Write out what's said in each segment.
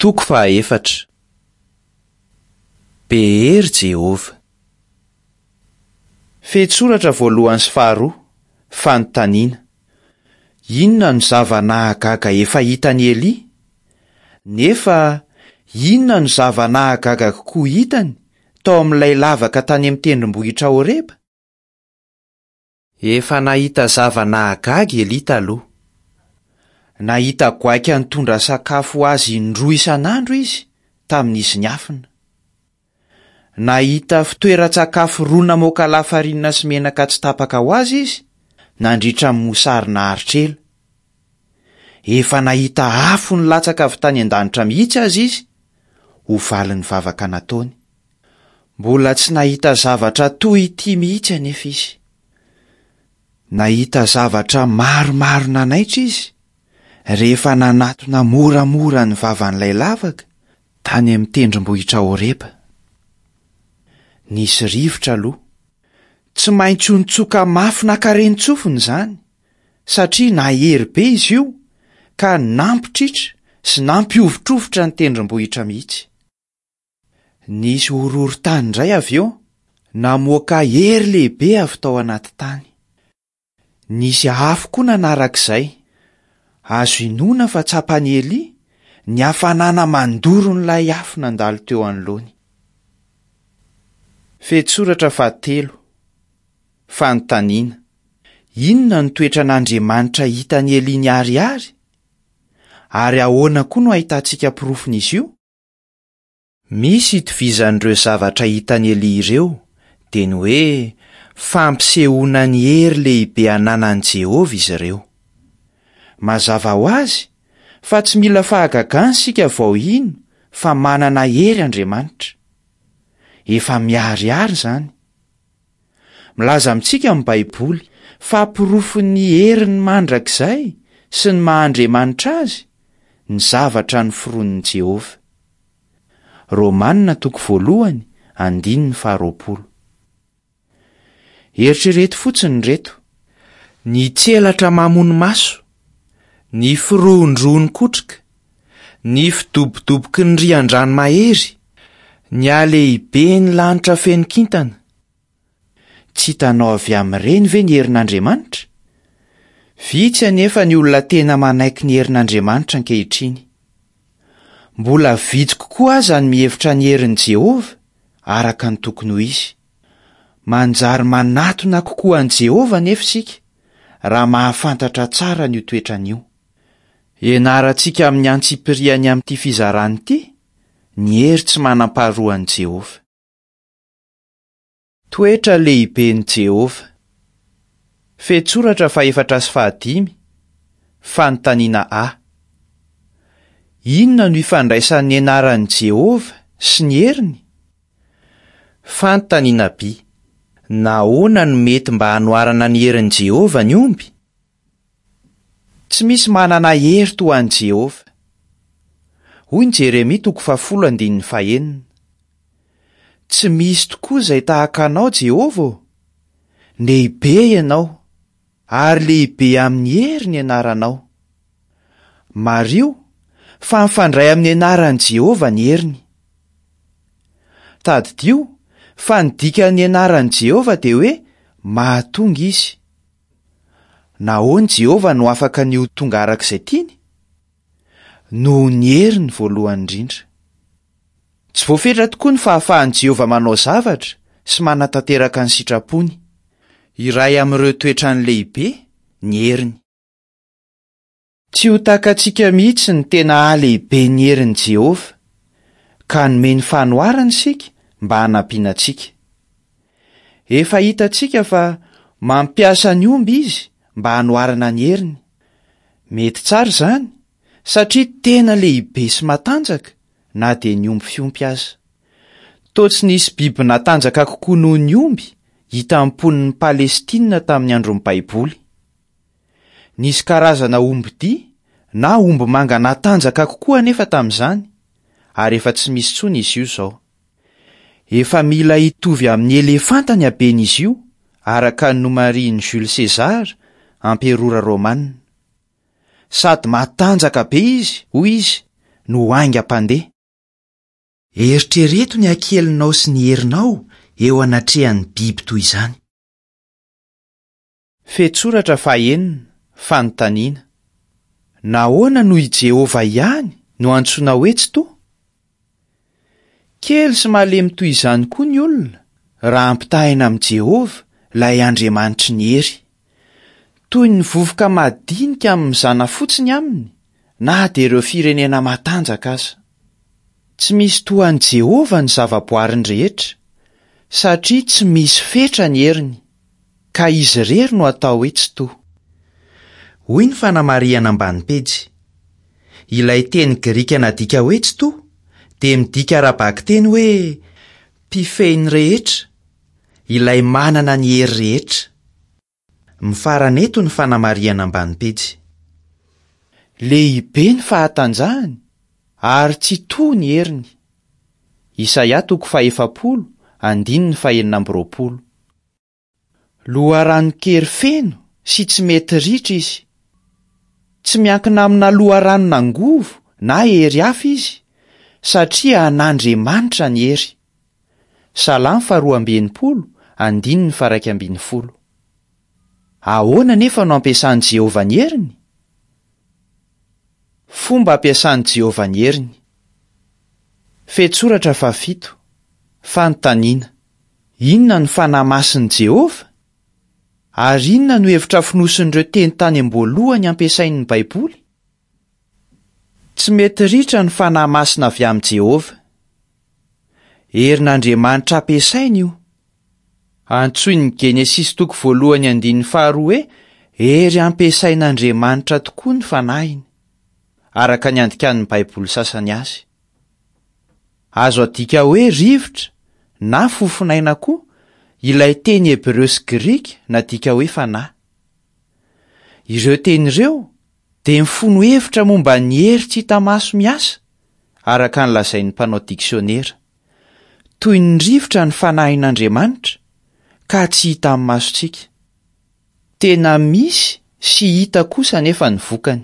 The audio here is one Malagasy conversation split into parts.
Toko fahaefatra. Be hery Jehovah. Fehintsoratra voalohany sy faharoa, Fanontaniana. Inona no zava-nahagaga efa hitan'i Elia? Nefa inona no zava-nahagaga kokoa hitany tao amin'ilay lavaka tany amin'ny tendrombohitra Horeba? Efa nahita zava-nahagaga i Elia taloha. Nahita goaika nitondra sakafo ho azy indroa isan'andro izy tamin'izy niafina. Nahita fitoeran-tsakafo roa namoaka lafarinina sy menaka tsy tapaka ho azy izy nandritra ny mosary naharitra ela. Efa nahita afo nilatsaka avy tany an-danitra mihitsy aza izy ho valin'ny vavaka nataony. Mbola tsy nahita zavatra toy ity mihitsy anefa izy. Nahita zavatra maromaro nanaitra izy rehefa nanatona moramora ny vavan'ilay lavaka tany amin'ny tendrombohitra Horeba. Nisy rivotra aloha. Tsy maintsy ho nitsoka mafy nankarenin-tsofina izany, satria nahery be izy io ka nampitritra sy nampihovitrovitra ny tendrombohitra mihitsy. Nisy horohorontany indray avy eo, namoaka hery lehibe avy tao anaty tany. Nisy afo koa nanaraka izay. Azo inoana fa tsapan'i Elia ny hafanana mandoron'ilay afo nandalo teo anoloany. Fehintsoratra fahatelo, Fanontaniana, Inona no toetran'Andriamanitra hitan'i Elia niharihary? Ary ahoana koa no ahitantsika porofon'izy io? Misy itovizan'ireo zavatra hitan'i Elia ireo, dia ny hoe fampisehoana ny hery lehibe ananan'i Jehovah izy ireo. Mazava ho azy fa tsy mila fahagagana isika vao hino fa manana hery Andriamanitra. Efa miharihary izany. Milaza amintsika ny Baiboly fa porofon'ny heriny mandrakizay sy ny maha Andriamanitra azy ny zavatra noforonin'i Jehovah. Romana toko voalohany andininy faharoapolo. Eritrereto fotsiny ireto, ny tselatra mamono maso, ny firohondrohon'ny kotroka, ny fidobodoboky ny rian-drano mahery, ny halehiben'ny lanitra feno kintana. Tsy hitanao avy amin'ireny ve ny herin'Andriamanitra? Vitsy anefa ny olona tena manaiky ny herin'Andriamanitra ankehitriny. Mbola vitsy kokoa aza ny mihevitra ny herin'i Jehovah araka ny tokony ho izy. Manjary manatona kokoa an'i Jehovah anefa isika raha mahafantatra tsara an'io toetrany io. Ianarantsika amin'ny antsipiriany amin'ity fizarana ity ny hery tsy manam-paharoan'i Jehovah. Toetra lehiben'i Jehovah. Fehintsoratra fahefatra sy fahadimy, Fanontaniana A. Inona no ifandraisan'ny anaran'i Jehovah sy ny heriny? Fanontaniana B. Nahoana no mety mba hanoharana ny herin'i Jehovah ny omby? Tsy misy manana hery toa an'i Jehovah. Hoy ny Jeremia toko fahafolo andininy fahenina, Tsy misy tokoa izay tahaka anao, Jehovah ô! Lehibe ianao, ary lehibe amin'ny hery ny anaranao. Mariho fa mifandray amin'ny anaran'i Jehovah ny heriny. Tadidio fa ny dikan'ny anaran'i Jehovah dia hoe mahatonga izy. Nahoana i Jehovah no afaka ny ho tonga araka izay tiany? Noho ny heriny voalohany indrindra. Tsy voafetra tokoa ny fahafahan'i Jehovah manao zavatra sy manatanteraka ny sitrapony. Iray amin'ireo toetrany lehibe ny heriny. Tsy ho takatsika mihitsy ny tena halehiben'ny herin'i Jehovah, ka nomeny fanoharana isika mba hanampiana antsika. Efa hitantsika fa mampiasa ny omby izy mba hanoharana ny heriny. Mety tsara izany, satria tena lehibe sy matanjaka na dia ny omby fiompy aza. Toa tsy nisy biby natanjaka kokoa noho ny omby hitan'ny mponin'i Palestina tamin'ny andron'ny Baiboly. Nisy karazana ombidia na ombimanga natanjaka kokoa anefa tamin'izany, ary efa tsy misy intsony izy io izao. Efa mila hitovy amin'ny elefanta ny haben'izy io, araka ny nomarihin'i Jules César, amperora romanina. Sady matanjaka be izy, hoy izy, no haingam-pandeha. Eritrereto ny hakelinao sy ny herinao eo anatrehan'ny biby toy izany. Fehintsoratra fahenina, Fanontaniana, Nahoana no i Jehovah ihany no antsoina hoe Tsitoha? Kely sy malemy toy izany koa ny olona raha ampitahaina amin'i Jehovah, ilay Andriamanitry ny hery. Toy ny vovoka madinika amin'ny mizana fotsiny aminy, na dia ireo firenena matanjaka aza. Tsy misy toa an'i Jehovah ny zavaboariny rehetra, satria tsy misy fetra ny heriny, ka izy irery no atao hoe Tsitoha. Hoy ny fanamarihana ambany pejy. Ilay teny grika nadika hoe tsitoha dia midika ara-bakiteny hoe mpifehy ny rehetra, ilay manana ny hery rehetra. Mifarana eto ny fanamarihana ambany pejy. Lehibe ny fahatanjahany ary tsy toa ny heriny. Isaia toko fahefapolo andininy fahenina amby roapolo. Loharanon-kery feno sy tsy mety ritra izy. Tsy miankina amina loharanon'angovo na hery hafa izy, satria an'Andriamanitra ny hery. Salamo faharoa amby enimpolo, andininy faha-iraika ambin'ny folo. Ahoana anefa no ampiasan'i Jehovah ny heriny? Fomba ampiasan'i Jehovah ny heriny. Fehintsoratra fahafito. Fanontaniana. Inona no fanahy masin'i Jehovah? Ary inona no hevitra fonosin'ireo teny tany am-boalohany ampiasain'ny Baiboly? Tsy mety ritra ny fanahy masina avy amin'i Jehovah. Herin'Andriamanitra ampiasainy io. Antsoin'ny Genesisy toko voalohany andininy faharoa hoe hery ampiasain'Andriamanitra tokoa ny fanahiny, araka ny andikan'ny Baiboly sasany azy. Azo adika hoe rivotra na fofonaina koa ilay teny hebreo sy grika nadika hoe fanahy. Ireo teny ireo dia mifono hevitra momba ny hery tsy hita maso miasa, araka ny lazain'ny mpanao diksionera. Toy ny rivotra ny fanahin'Andriamanitra, ka tsy hita amin'ny masontsika. Tena misy sy hita kosa anefa ny vokany.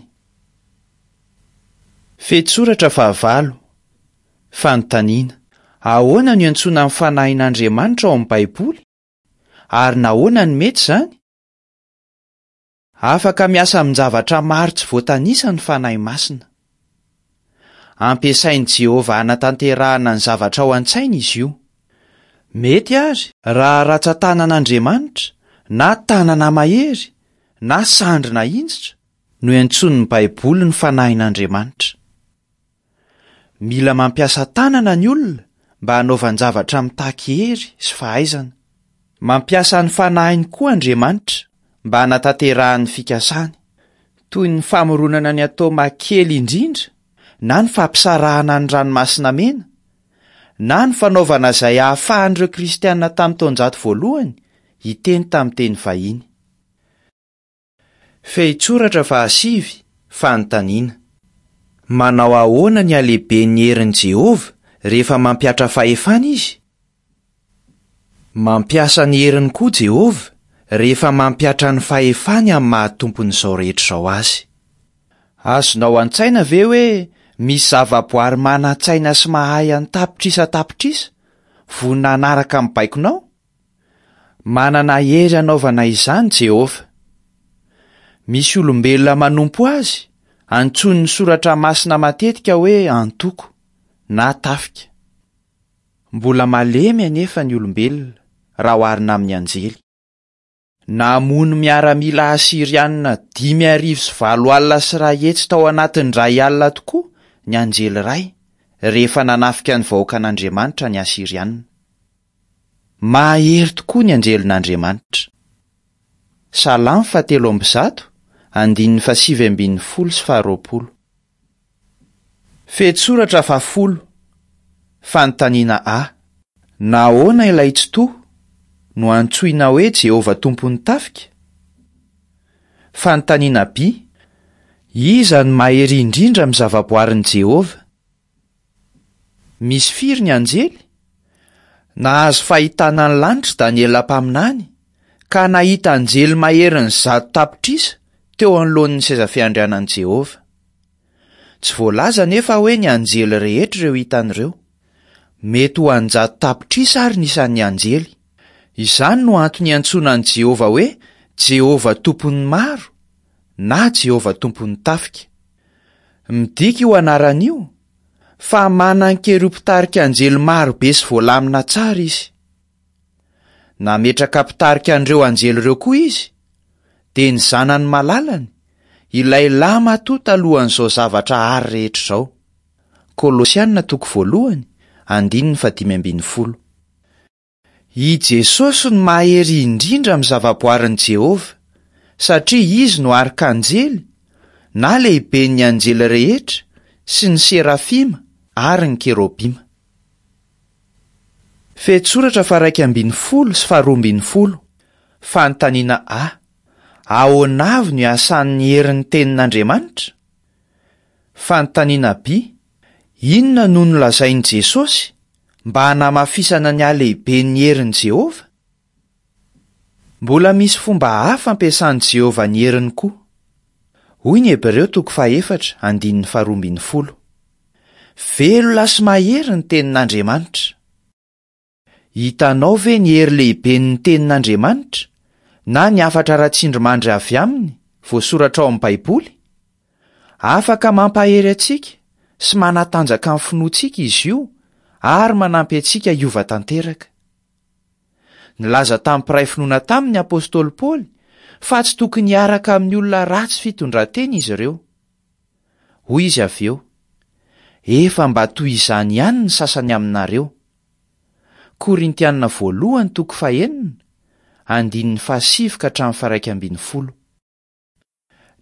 Fehintsoratra fahavalo, Fanontaniana, Ahoana no iantsoana ny fanahin'Andriamanitra ao amin'ny Baiboly, ary nahoana no mety izany? Afaka miasa amin-javatra maro tsy voatanisa ny fanahy masina. Ampiasain'i Jehovah hanatanterahana ny zavatra ao an-tsainy izy io. Mety àry raha ratsan-tanan'Andriamanitra, na tanana mahery, na sandry nahinjitra, no iantsoan'ny Baiboly ny fanahin'Andriamanitra. Mila mampiasa tanana ny olona mba hanaovan-javatra mitaky hery sy fahaizana. Mampiasa ny fanahiny koa Andriamanitra mba hanatanterahany ny fikasany, toy ny famoronana ny ataoma kely indrindra na ny fampisarahana ny Ranomasina Mena, na ny fanaovana izay hahafahan'ireo Kristiana tamin'ny taonjato voalohany hiteny tamin'ny teny vahiny. Fehintsoratra fahasivy, Fanontaniana. Manao ahoana ny halehiben'ny herin'i Jehovah rehefa mampihatra fahefana izy? Mampiasa ny heriny koa Jehovah rehefa mampihatra ny fahefany amin'ny maha Tompon'izao rehetra izao azy. Azonao an-tsaina ve hoe misy zavaboary manan-tsaina sy mahay an-tapitrisa tapitrisa vonona hanaraka ny baikonao? Manana hery hanaovana izany Jehovah. Misy olombelona manompo azy, antsoin'ny Soratra Masina matetika hoe antoko, na tafika. Mbola malemy anefa ny olombelona raha oharina amin'ny anjely. Namono miaramila asyrianina 1850 tao anatin'ny indray alina tokoa ny anjely iray, rehefa nanafika ny vahoakan'Andriamanitra ny Asyrianina. Mahery tokoa ny anjelin'Andriamanitra. Salamo fahatelo amby zato, andininy fahasivy ambin'ny folo sy faharoapolo. Fehintsoratra fahafolo, Fanontaniana A. Nahoana ilay Tsitoha no antsoina hoe Jehovah Tompon'ny tafika? Fanontaniana B. Iza no mahery indrindra amin'ny zavaboarin'i Jehovah? Misy firy ny anjely? Nahazo fahitana ny lanitra i Daniela mpaminany, ka nahita anjely maherin'ny 100 tapitrisa teo anoloan'ny seza fiandrianan'i Jehovah. Tsy voalaza anefa hoe ny anjely rehetra ireo hitany ireo. Mety ho an-jato tapitrisa àry ny isan'ny anjely. Izany no antony iantsoana an'i Jehovah hoe Jehovah Tompon'ny maro, na Jehovah Tompon'ny tafika. Midika io anarana io fa manan-kery ho mpitarika anjely maro be sy voalamina tsara izy. Nametraka mpitarika an'ireo anjely ireo koa izy, dia ny Zanany malalany, ilay lahimatoa talohan'izao zavatra àry rehetra izao. Kolosiana toko voalohany, andininy fahadimy ambin'ny folo. I Jesosy no mahery indrindra amin'ny zavaboarin'i Jehovah, satria izy no arkanjely, na lehiben'ny anjely rehetra, sy ny serafima ary ny kerobima. Fehintsoratra faha-11 sy faha-12, Fanontaniana A, Ahoana avy no iasan'ny herin'ny Tenin'Andriamanitra? Fanontaniana B, Inona no nolazain'i Jesosy mba hanamafisana ny halehiben'ny herin'i Jehovah? Mbola misy fomba hafa ampiasan'i Jehovah ny heriny koa. Hoy ny Hebreo toko fahefatra andininy faharoa ambin'ny folo, Velona sy mahery ny tenin'Andriamanitra. Hitanao ve ny hery lehiben'ny tenin'Andriamanitra, na ny hafatra ara-tsindrimandry avy aminy, voasoratra ao amin'ny Baiboly? Afaka mampahery antsika sy manatanjaka ny finoantsika izy io ary manampy antsika hiova tanteraka. Nilaza tamin'ny mpiray finoana taminy ny apostoly Paoly fa tsy tokony hiaraka amin'ny olona ratsy fitondran-tena izy ireo. Hoy izy avy eo, Efa mba toy izany ihany ny sasany aminareo. Korintiana voalohany toko fahenina, andininy fahasivy ka hatramin'ny faha-11.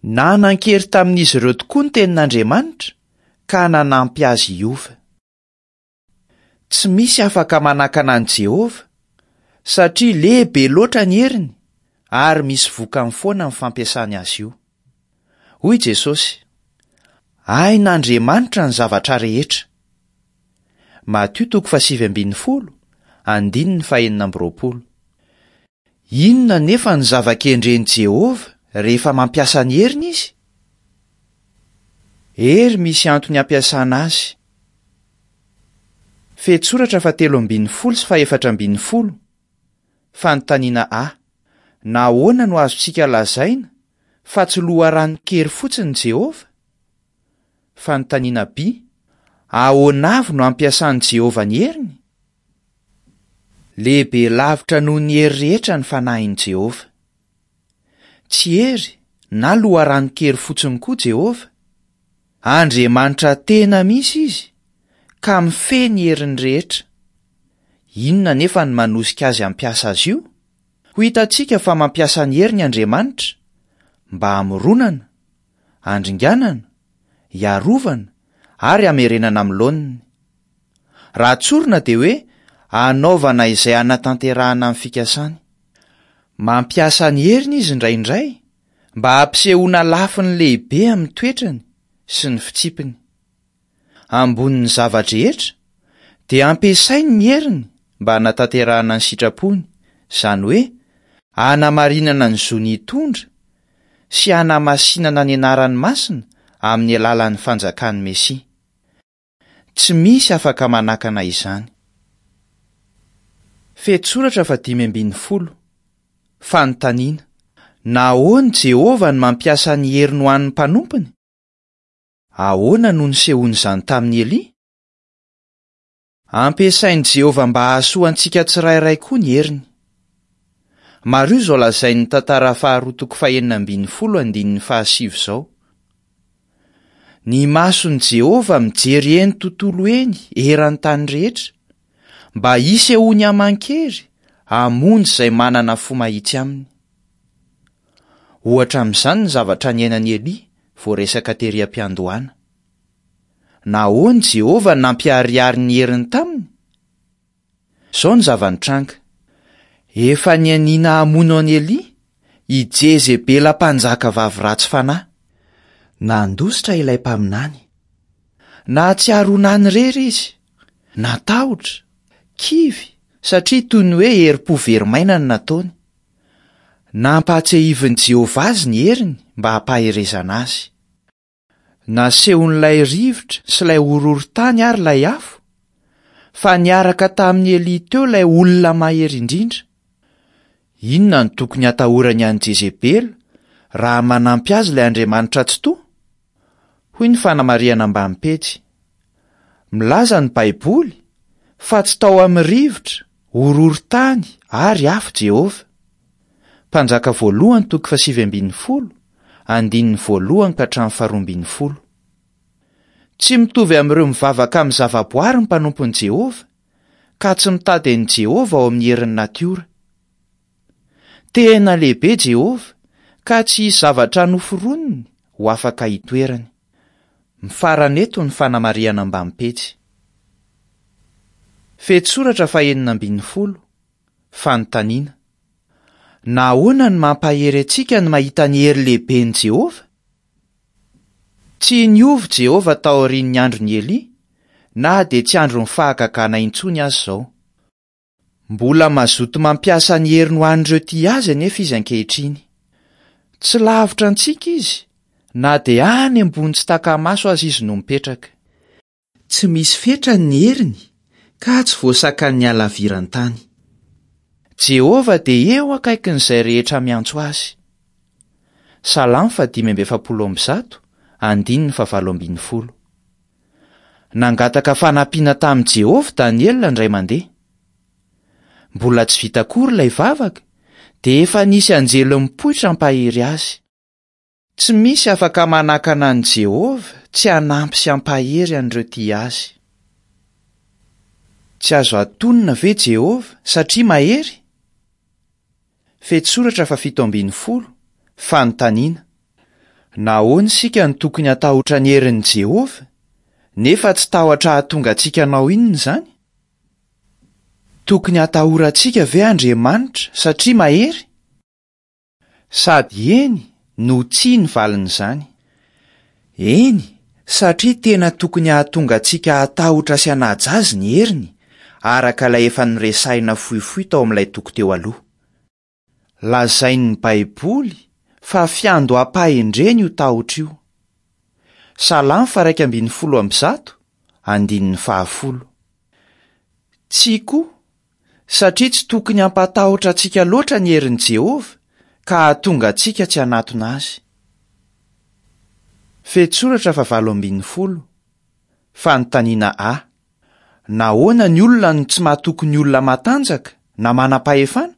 Nanan-kery tamin'izy ireo tokoa ny Tenin'Andriamanitra ka nanampy azy hiova. Tsy misy afaka manakana an'i Jehovah, satria lehibe loatra ny heriny ary misy vokany foana ny fampiasany azy io. Hoy Jesosy, Hain'Andriamanitra ny zavatra rehetra. Matio toko fahasivy ambin'ny folo, andininy fahenina amby roapolo. Inona anefa no zava-kendren'i Jehovah rehefa mampiasa ny heriny izy? Hery misy antony ampiasana azy. Fehintsoratra fahatelo ambin'ny folo sy fahefatra ambin'ny folo. Fanontaniana A, Nahoana no azontsika lazaina fa tsy loharanon-kery fotsiny Jehovah? Fanontaniana B, Ahoana avy no ampiasan'i Jehovah ny heriny? Lehibe lavitra noho ny hery rehetra ny fanahin'i Jehovah. Tsy hery na loharanon-kery fotsiny koa Jehovah. Andriamanitra tena misy izy, ka mifehy ny heriny rehetra. Inona anefa no manosika azy hampiasa azy io? Ho hitantsika fa mampiasa ny heriny Andriamanitra mba hamoronana, handringanana, hiarovana ary hamerenana amin'ny laoniny. Raha tsorina dia hoe hanaovana izay hanatanterahana ny fikasany. Mampiasa ny heriny izy indraindray mba hampisehoana lafiny lehibe amin'ny toetrany sy ny fitsipiny. Ambonin'ny zava-drehetra, dia ampiasainy ny heriny mba hanatanterahana ny sitrapony, izany hoe hanamarinana ny zony hitondra sy hanamasinana ny anarany masina amin'ny alalan'ny Fanjakan'ny Mesia. Tsy misy afaka manakana izany. Fehintsoratra fahadimy ambin'ny folo. Fanontaniana, Nahoana Jehovah no mampiasa ny heriny ho an'ny mpanompony? Ahoana no nisehoan'izany tamin'i Elia? Ampiasain'i Jehovah mba hahasoa antsika tsirairay koa ny heriny. Mariho izao lazain'ny Tantara faharoa toko fahenina ambin'ny folo andininy fahasivy izao, Ny mason'i Jehovah mijery eny tontolo eny eran'ny tany rehetra, mba hisehoany aman-kery hamonjy izay manana fo mahitsy aminy. Ohatra amin'izany ny zavatra niainan'i Elia voaresaka tery am-piandohana. Nahoana Jehovah no nampiharihary ny heriny taminy? Izao ny zava-nitranga, Efa nianiana hamono an'i Elia i Jezebela mpanjaka vavy ratsy fanahy. Nandositra ilay mpaminany. Nahatsiaro ho nanirery izy, natahotra, kivy, satria toy ny hoe herim-po very maina no nataony. Nampahatsiahivin'i Jehovah azy ny heriny mba hampaherezana azy. Nasehon'ilay rivotra sy ilay horohorontany ary ilay afo, fa niaraka tamin'i Elia teo ilay olona mahery indrindra. Inona no tokony hatahorany an'i Jezebela raha manampy azy ilay Andriamanitra Tsitoha? Hoy ny fanamarihana ambany pejy. Milaza ny Baiboly fa tsy tao amin'ny rivotra, horohorontany ary afo Jehovah. Mpanjaka voalohany toko fahasivy ambin'ny folo, andininy voalohany ka hatramin'ny faharoa ambin'ny folo. Tsy mitovy amin'ireo mivavaka amin'ny zavaboary ny mpanompon'i Jehovah, ka tsy mitady an'i Jehovah ao amin'ny herin'ny natiora. Tena lehibe Jehovah, ka tsy hisy zavatra noforoniny ho afaka hitoerany. Mifarana eto ny fanamarihana ambany pejy. Fehintsoratra fahenina ambin'ny folo, Fanontaniana. Nahoana no mampahery antsika ny mahita ny hery lehiben'i Jehovah? Tsy niova Jehovah taorian'ny andron'i Elia, na dia tsy andron'ny fahagagana intsony aza izao. Mbola mazoto mampiasa ny heriny ho an'ireo tia azy anefa izy ankehitriny. Tsy lavitra antsika izy, na dia any ambony tsy taka-maso aza izy no mipetraka. Tsy misy fetrany ny heriny, ka tsy voasakan'ny halaviran-tany. Jehovah dia eo akaikin'izay rehetra miantso azy. Salamo faha-145, andininy fahavalo ambin'ny folo. Nangataka fanampiana tamin'i Jehovah Daniela indray mandeha. Mbola tsy vita akory ilay vavaka, dia efa nisy anjely nipoitra hampahery azy. Tsy misy afaka manakana an'i Jehovah tsy hanampy sy hampahery an'ireo tia azy. Tsy azo atonina ve Jehovah satria mahery? Fehintsoratra faha-17, Fanontaniana. Nahoana isika no tokony hatahotra ny herin'i Jehovah, nefa tsy tahotra hahatonga antsika hanao inona izany? Tokony hatahorantsika ve Andriamanitra satria mahery? Sady eny no tsia ny valin'izany. Eny, satria tena tokony hahatonga antsika hatahotra sy hanaja azy ny heriny, araka ilay efa noresahina fohifohy tao amin'ilay toko teo aloha. Lazain'ny Baiboly fa fiandoham-pahendrena io tahotra io. Salamo faha-111, andininy fahafolo. Tsia koa, satria tsy tokony hampatahotra antsika loatra ny herin'i Jehovah ka hahatonga antsika tsy hanatona azy. Fehintsoratra fahavalo ambin'ny folo, Fanontaniana A. Nahoana ny olona no tsy matoky ny olona matanjaka na manam-pahefana?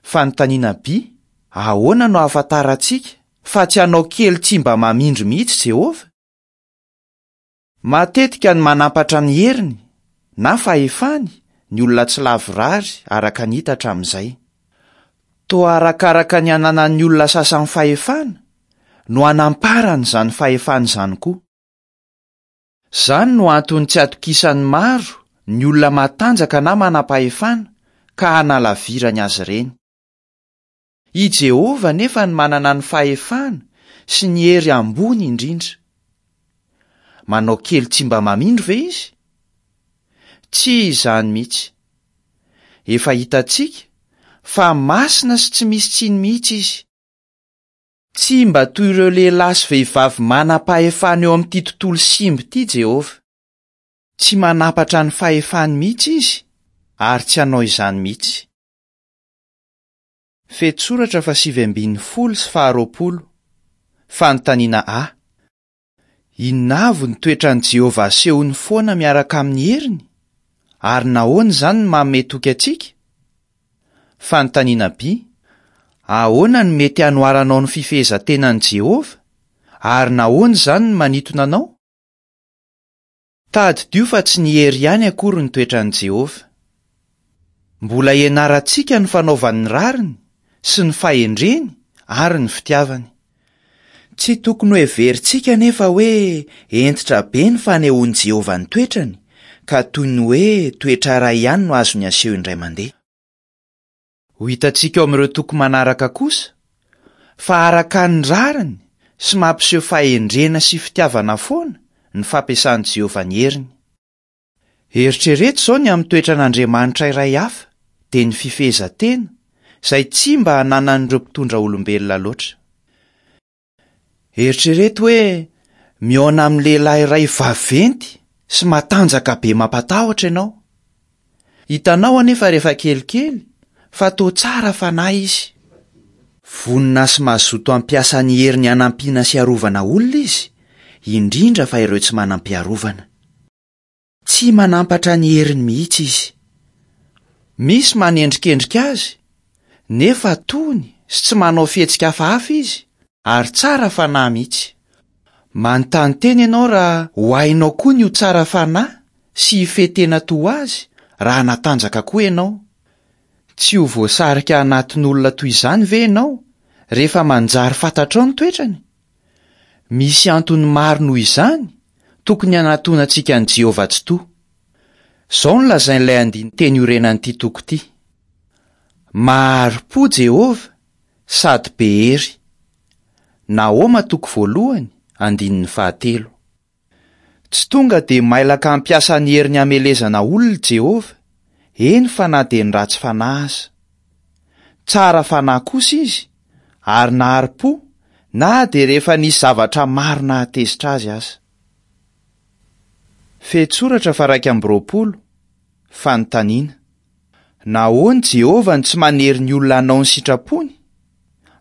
Fanontaniana B. Ahoana no ahafantarantsika fa tsy hanao kely tsy mba mamindro mihitsy Jehovah? Matetika no manampatra ny heriny na fahefany ny olona tsy lavorary araka ny hita hatramin'izay. Toa arakaraka ny ananan'ny olona sasany fahefana no anamparany izany fahefana izany koa. Izany no antony tsy atokisan'ny maro ny olona matanjaka na manam-pahefana ka hanalavirany azy ireny. I Jehovah anefa no manana ny fahefana sy ny hery ambony indrindra. Manao kely tsy mba mamindro ve izy? Tsy izany mihitsy. Efa hitantsika fa masina sy tsy misy tsiny mihitsy izy. Tsy mba toy ireo lehilahy sy vehivavy manam-pahefana eo amin'ity tontolo simba ity Jehovah. Tsy manampatra ny fahefany mihitsy izy ary tsy hanao izany mihitsy. Fehintsoratra fahasivy ambin'ny folo sy faharoapolo. Fanontaniana A. Inona avy no toetran'i Jehovah asehony foana miaraka amin'ny heriny, ary nahoana izany no manome toky antsika? Fanontaniana B. Ahoana no mety hanoharanao ny fifehezan-tenan'i Jehovah, ary nahoana izany no manintona anao? Tadidio fa tsy ny hery ihany akory ny toetran'i Jehovah. Mbola ianarantsika ny fanaovany ny rariny sy ny fahendreny ary ny fitiavany. Tsy tokony hoheverintsika anefa hoe hentitra be ny fanehoan'i Jehovah ny toetrany, ka toy ny hoe toetra iray ihany no azony aseho indray mandeha. Ho hitantsika ao amin'ireo toko manaraka kosa fa araka ny rariny sy mampiseho fahendrena sy fitiavana foana ny fampiasan'i Jehovah ny heriny. Eritrereto izao ny amin'ny toetran'Andriamanitra iray hafa, dia ny fifehezan-tena, izay tsy mba ananan'ireo mpitondra olombelona loatra. Eritrereto hoe Mihaona amin'ny lehilahy iray vaventy sy matanjaka be mampatahotra ianao. Hitanao anefa rehefa kelikely fa toa tsara fanahy izy. Vonona sy mazoto hampiasa ny heriny hanampiana sy hiarovana olona izy, indrindra fa ireo tsy manam-piarovana. Tsy manampatra ny heriny mihitsy izy. Misy manendrikendrika azy, nefa tony sy tsy manao fihetsika hafahafa izy, ary tsara fanahy mihitsy. Manontany tena ianao raha ho hainao koa ny ho tsara fanahy sy hifehy tena toa azy raha hanatanjaka koa ianao. Tsy ho voasarika hanaton'olona toy izany ve ianao rehefa manjary fantatrao ny toetrany? Misy antony maro noho izany tokony hanatonantsika an'i Jehovah Tsitoha. Izao no lazain'ilay andinin-teny iorenan'ity toko ity, Mahari-po Jehovah sady be hery. Nahoma toko voalohany, andininy fahatelo. Tsy tonga dia mailaka hampiasa ny heriny hamelezana olona i Jehovah, eny fa na dia ny ratsy fanahy aza. Tsara fanahy kosa izy, ary nahari-po na dia rehefa nisy zavatra maro nahatezitra azy aza. Fehintsoratra faha-21, Fanontaniana, Nahoana i Jehovah no tsy manery ny olona hanao ny sitrapony,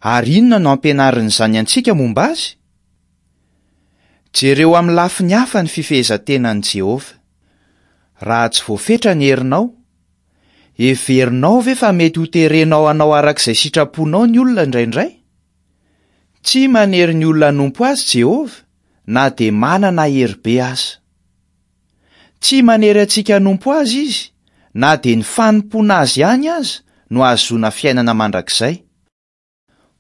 ary inona no ampianarin'izany antsika momba azy? Jereo amin'ny lafiny hafa ny fifehezan-tenan'i Jehovah. Raha tsy voafetra ny herinao, heverinao ve fa mety hoterenao hanao araka izay sitraponao ny olona indraindray? Tsy manery ny olona hanompo azy Jehovah, na dia manana hery be aza. Tsy manery antsika hanompo azy izy, na dia ny fanompoana azy ihany aza no ahazoana fiainana mandrakizay.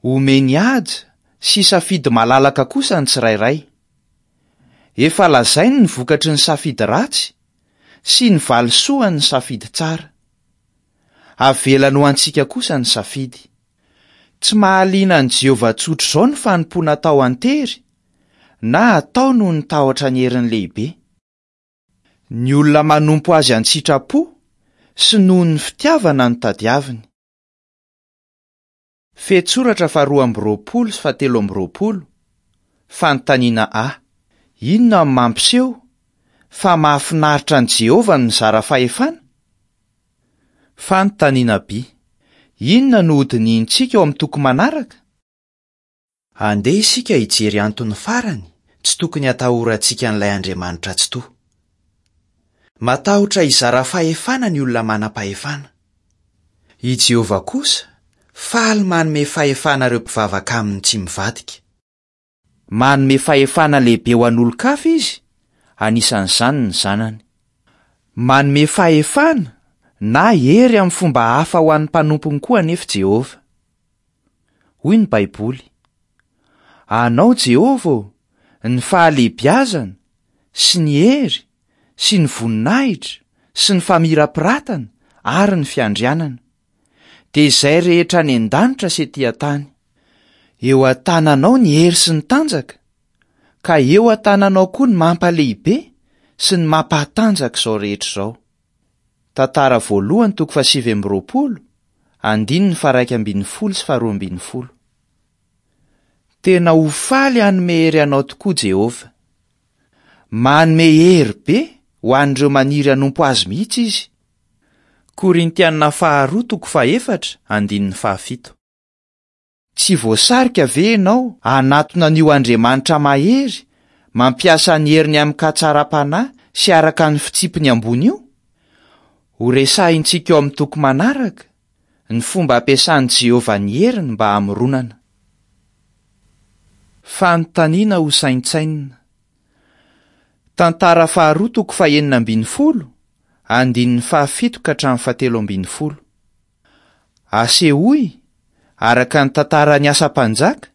Omeny haja sy safidy malalaka kosa ny tsirairay. Efa lazainy ny vokatry ny safidy ratsy sy ny valisoan'ny safidy tsara. Avelany ho antsika kosa ny safidy. Tsy mahaliana an'i Jehovah tsotr'izao ny fanompoana atao an-tery na atao noho ny tahotra ny heriny lehibe. Ny olona manompo azy an-tsitrapo sy noho ny fitiavana no tadiaviny. Fehintsoratra faharoa amby roapolo sy fahatelo amby roapolo, Fanontaniana A. Inona no mampiseho fa mahafinaritra an'i Jehovah ny mizara fahefana? Fanontaniana B. Inona no hodinihintsika ao amin'ny toko manaraka? Andeha isika hijery antony farany tsy tokony hatahorantsika an'ilay Andriamanitra Tsitoha. Matahotra hizara fahefana ny olona manam-pahefana. I Jehovah kosa faly manome fahefana ireo mpivavaka aminy tsy mivadika. Manome fahefana lehibe ho an'olon-kafa izy, anisan'izany ny Zanany. Manome fahefana na hery amin'ny fomba hafa ho an'ny mpanompony koa anefa Jehovah. Hoy ny Baiboly, Anao, Jehovah ô, ny fahalehibiazana, sy ny hery, sy ny voninahitra, sy ny famirapiratana, ary ny fiandrianana. Dia izay rehetra any an-danitra sy etỳ an-tany. Eo an-tananao ny hery sy ny tanjaka, ka eo an-tananao koa ny mampalehibe sy ny mampahatanjaka izao rehetra izao. Tantara voalohany toko fahasivy amby roapolo, andininy faha-iraika ambin'ny folo sy faharoa ambin'ny folo. Tena ho faly hanome hery anao tokoa Jehovah. Manome hery be ho an'ireo maniry hanompo azy mihitsy izy. Korintiana faharoa toko fahefatra, andininy fahafito. Tsy voasarika ve ianao hanatona an'io Andriamanitra mahery, mampiasa ny heriny amin-katsaram-panahy sy araka ny fitsipiny ambony io? Horesahintsika ao amin'ny toko manaraka ny fomba ampiasan'i Jehovah ny heriny mba hamoronana. Fanontaniana hosaintsainina. Tantara faharoa toko fahenina ambin'ny folo, andininy fahafito ka hatramin'ny fahatelo ambin'ny folo. Asehoy, araka ny tantaran'ny Asa Mpanjaka,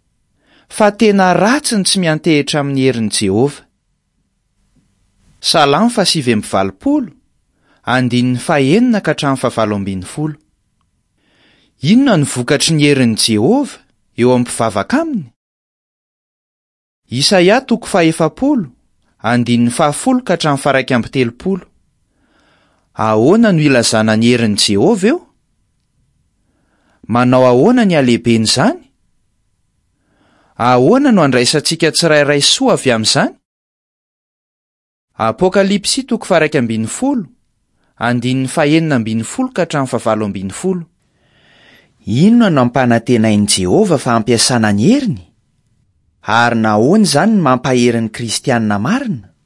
fa tena ratsy ny tsy miantehitra amin'ny herin'i Jehovah. Salamo fahasivy amby valopolo, andininy fahenina ka hatramin'ny fahavalo ambin'ny folo. Inona no vokatry ny herin'i Jehovah eo amin'ny mpivavaka aminy? Isaia toko fahefapolo, andininy fahafolo ka hatramin'ny faha-iraika amby telopolo. Ahoana no ilazana ny herin'i Jehovah eo? Manao ahoana ny halehiben'izany? Ahoana no andraisantsika tsirairay soa avy amin'izany? Apokalypsy toko faha-11, andininy faha-16 ka hatramin'ny faha-18. Inona no ampanantenain'i Jehovah fa hampiasana ny heriny? Ary nahoana izany no mampahery ny Kristianina marina?